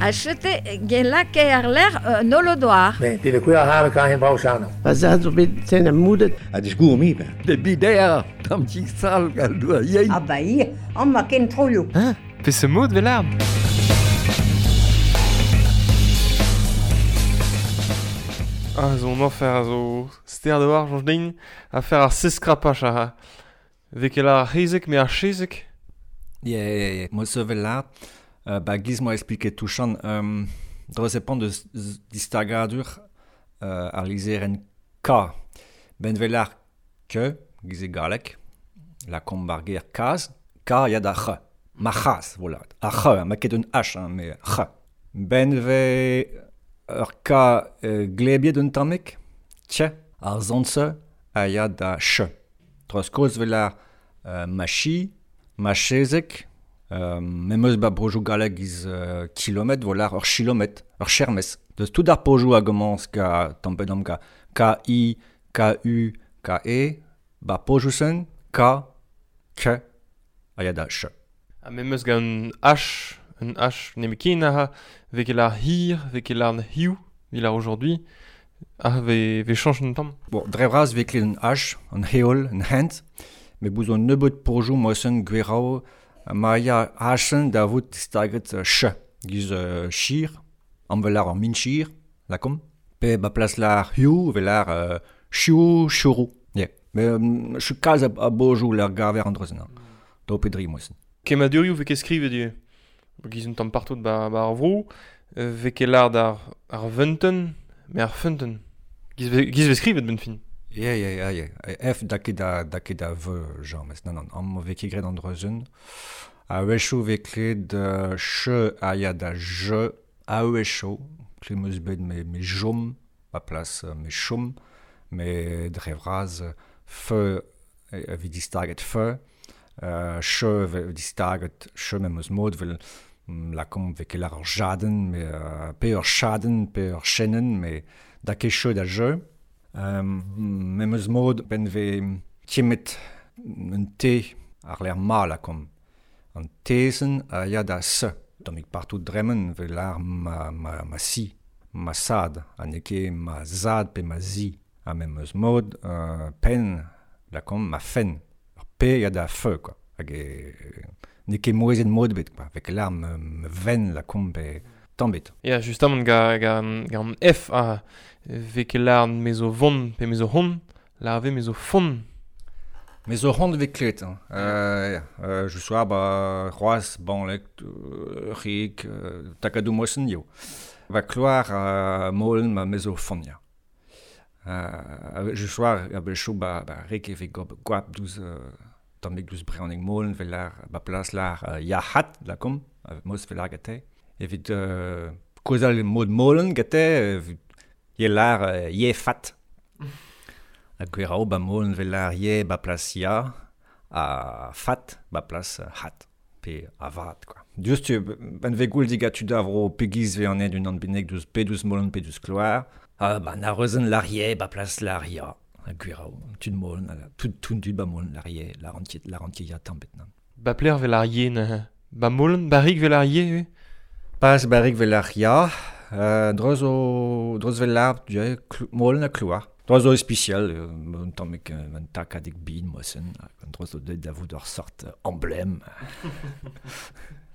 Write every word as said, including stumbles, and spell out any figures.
A chete gelake ar l'air euh, nolodoar. Ne, det er kuer har kan hen brauchano. Va zad zo bet ten am moudet. A disgour mi ben. De bidea, tam ti sal gal doa yein. Ah ba ir, an ma ken troioù. Hein? Pe se mod vel arm? Ah, zo on enfer a zo ster de war, jonge din, a fer ar seskrapach a vek el ar c'hezek, me ar chezek. Yeah, yeah, yeah. Mo se vel art, euh, ba giz moa expliqué touchan, um, dre se pan deus distagadur euh, ar lizeren K. Ben vel ar ke, giz e galek, la komb ar ger kaz, K ya da c'h. Ma c'haz, voilà. Ar c'h, ma ket un H, hein, me c'h. Ben ve ur K euh, glebiet un tammek, tche, ar zonse a ya da ch. Troz koz vel ar euh, ma chi, ma chezek, euh, memeus ba brojou galleg giz euh, kilometr, voilà, ur chilometr, ur chermes. Deus tout ar pojou a gomans ka tampedam ka K I, K U, K E, ba pojou sen, K, K, a ya da ch. A memeus gant un H, un H nemekin a vek el ar hir, vek el ar hiu, vil ar aujourd'hui, ah, ve, ve chanch un tamm. Bon, dre vras vek un H, un heol, un hent, me bouz on nebeut pojou mosen gwerao, ma ya H-sen da vout distaget uh, ch, giz uh, chir, am vel ar min chir, la kom, pe ba plas lar hiu, vel ar uh, chiou, chourou. Yeah. Me um, chu kalz a, a bojou lar gaver an drezen, mm. Do pedri mosen. Kemadurioù vek e skrivet du. Giz un tamm partout ba, ba ar vro, vek e lard ar, ar vunten, me ar funten. Giz ve, giz ve skrivet ben fin. Yeah, yeah, yeah, yeah. F da ket da, da ket da v, james. Non, non, am vek e gret an drezen. A wecho vek klet uh, che a ya da je, a wecho, klet meus bet me, me jom, ba plas me chom, me dre vras fe, vi distaget fe, uh, che ve distaget che me meus mod vel la kom vek el ar jaden, me uh, pe ur chaden, pe ur chenen, me da ket che da je. Um, me meus mod ben ve tiemet un te ar l'air ma la kom. An tezen a ya da se. Tammik partout dremen vel ar ma, ma, ma si, ma sad, ha n'eo ket ma zad pe ma zi. Ha me meus mod uh, pen la kom ma fen. Ar pe ya da feu, quoi. Hag e n'eo ket mouezet mod bet, quoi. Vek l'ar me, me ven la kom pe tamm bet. Ya, justement, ga, ga, ga an F a vek el ar mezo von pe mezo hon, la ve mezo fon. Mezo hon vek klet, hein. Euh, euh, je sois ba c'hoaz banlek, euh, rik, euh, takadou mosen yo. Va kloar uh, molen ma mezo fon, ya. Euh, je sois a bel chou ba, ba rik e vek gob gwap douz euh, tammik douz breonek molen vel ar ba plas lar uh, ya hat la kom, mos vel ar gate. Evit euh, kozal mod molen gate, evit ye lar euh, ye fat. A gwerao ba molen vel ar ye ba plas ya, a fat ba plas hat, pe a vat, quoi. Just tu, ben ve goul digat tu davro pegiz ve an ed un an benek douz pe douz molen pe douz kloar, ah ba na rezen lar ye ba plas lar ya. A gwerao, tud molen, tout tout tud ba molen lar ye, la rentier, la rentier ya tamm bet nan. Ba pler vel ar ye na, ba molen, ba rik vel ar ye, oui. Pas barik vel ar ya, euh, dreuz o, dreuz vel ar, ja, kl- molen a kloar. Dreuz o ispicial, euh, un tammik un takadik bin mosen, dreuz o deut da vout ur sort emblème.